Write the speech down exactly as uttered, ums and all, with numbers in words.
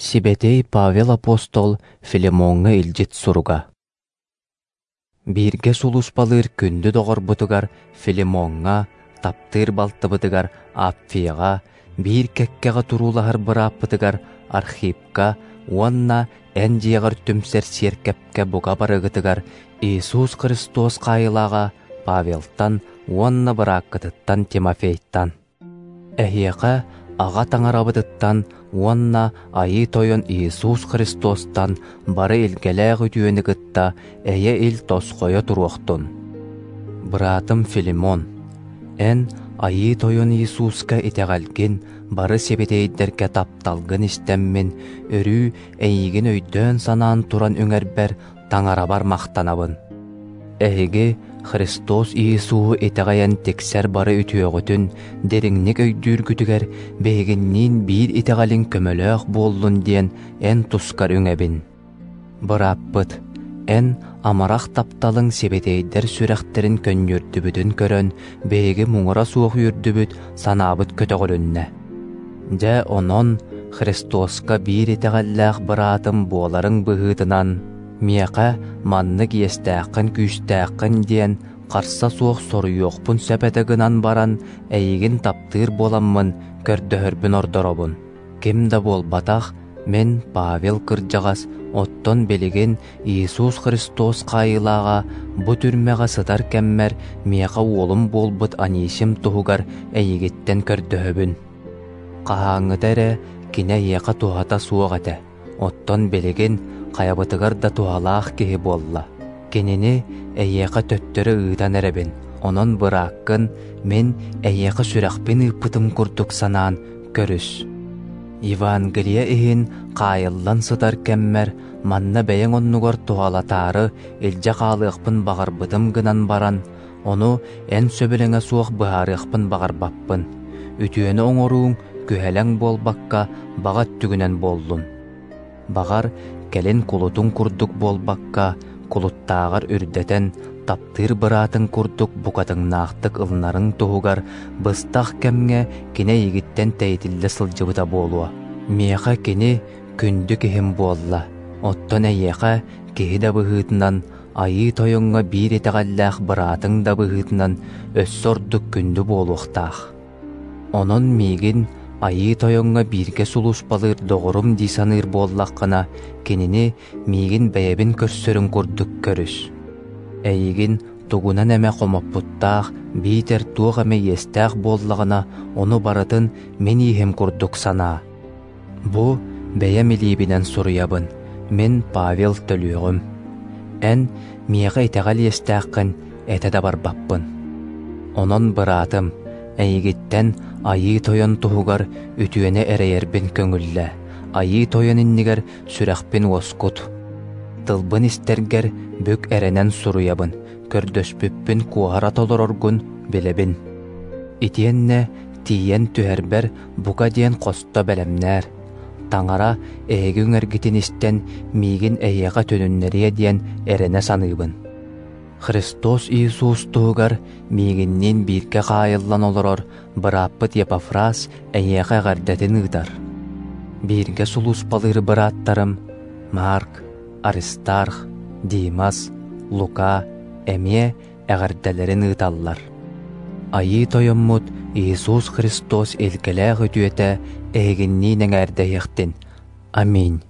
Сибэтиэй Павел апостол Филимоҥҥа илдьит суруга. Бииргэ сулууспалыыр күндү доҕорбутугар Филимоҥҥа, таптыыр балтыбытыгар Апфияҕа, биир кэккэҕэ туруулаһар бырааппытыгар Архипка уонна эн дьиэҕэр түмсэр сиэркэпкэ бука барыгытыгар Иисус Христос хаайыылааҕа Павелтан уонна бырааккытыттан Тимофейтан. Эһиэхэ Аҕа Таҥарабытыттан уонна Айыы Тойон Иисус Христостан бары илгэлээх үтүөнү кытта эйэ-ил тосхойо туруохтун. Быраатым Филимон, эн Айыы Тойон Иисуска итэҕэлгин, бары сибэтиэйдэргэ тапталгын истэммин, өрүү эйигин өйдөөн-санаан туран үҥэрбэр Таҥарабар махтанабын. Эһиги Христос Иисуһу итэҕэйэн тиксэр бары үтүөҕүтүн дириҥник өйдүүргүтүгэр биһигинниин биир итэҕэлиҥ көмөлөөх буоллун диэн эн тускар үҥэбин. Бырааппыт, эн амарах тапталыҥ сибэтиэйдэр сүрэхтэрин көнньүөрдүбүтүн көрөн, биһиги муҥура суох үөрдүбүт, санаабыт көтөҕүлүннэ. Дьэ онон Христоска биир итэҕэллээх быраатым буоларыҥ быһыытынан, миэхэ маннык иэстээххин-күүстээххин диэн харса суох соруйуохпун сөп этэ гынан баран, эйигин таптыыр буоламмын көрдөһөрбүн ордоробун. Ким да буолбатах, мин Павел кырдьаҕас, оттон билигин Иисус Христос хаайыылааҕа бу түрмэҕэ сытар кэммэр миэхэ уолум буолбут Анисим туһугар эйигиттэн көрдөһөбүн. Хаһааҥҥыта эрэ кини эйиэхэ туһата суох этэ, оттон билигин хайабытыгар да туһалаах киһи буолла. Кинини эйиэхэ төттөрү ыытан эрэбин, онон бырааккын мин эйиэхэ сүрэхпин ыыппытым курдук санаан көрүс. Евангелие иһин хаайыллан сытар кэммэр манна бэйэҥ оннугар туһалатаары илдьэ хаалыахпын баҕарбытым гынан баран, ону эн сөбүлэҥэ суох быһаарыахпын баҕарбаппын. Үтүөнү оҥорууҥ күһэлэҥ буолбакка баҕа өттүгүнэн буоллун. Баҕар, кэлин кулутуҥ курдук буолбакка, кулуттааҕар үрдэтэн, таптыыр быраатыҥ курдук букатыҥнаахтык ылынарыҥ туһугар быстах кэмҥэ кини эйигиттэн тэйитиллэ сылдьыбыта буолуо. Миэхэ кини күндү киһим буолла, оттон эйиэхэ киһи да быһыытынан, Айыы Тойоҥҥо биир итэҕэллээх быраатыҥ да быһыытынан өссө ордук күндү буолуохтаах. Онон миигин Айыы Тойоҥҥо бииргэ сулууспалыыр доҕорум дии саныыр буоллаххына, кинини миигин бэйэбин көрсөрүн курдук көрүс. Эйигин тугунан эмэ хомоппуттаах, биитэр туох эмэ иэстээх буоллаҕына, ону барытын мин ииһим курдук санаа. Бу бэйэм илиибинэн суруйабын, мин Павел төлүөҕүм. Эн миэхэ итэҕэл иэстээххин этэ да барбаппын. Онон быраатым, эйигиттэн Айыы Тойон туһугар үтүөнү эрэйэрбин көҥүллээ, Айыы Тойон иннигэр сүрэхпин уоскут. Тылбын истэргэр бүк эрэнэн суруйабын, көрдөспүппүн куоһара толороргун билэбин. Итиэннэ тиийэн түһэрбэр бука диэн хосто бэлэмнээр. Таҥара эһиги үҥэргитин истэн миигин эйиэхэ төнүннэриэ диэн эрэнэ саныыбын. Христос Иисус туһугар миигинниин бииргэ хаайыллан олорор бырааппыт Епафрас эйиэхэ эҕэрдэтин ыытар. Бииргэ сулууспалыыр бырааттарым Марк, Аристарх, Димас, Лука эмиэ эҕэрдэлэрин ыыталлар. Айыы Тойоммут Иисус Христос илгэлээх үтүөтэ эһигинниин эҥээрдэһиэхтин. Аминь.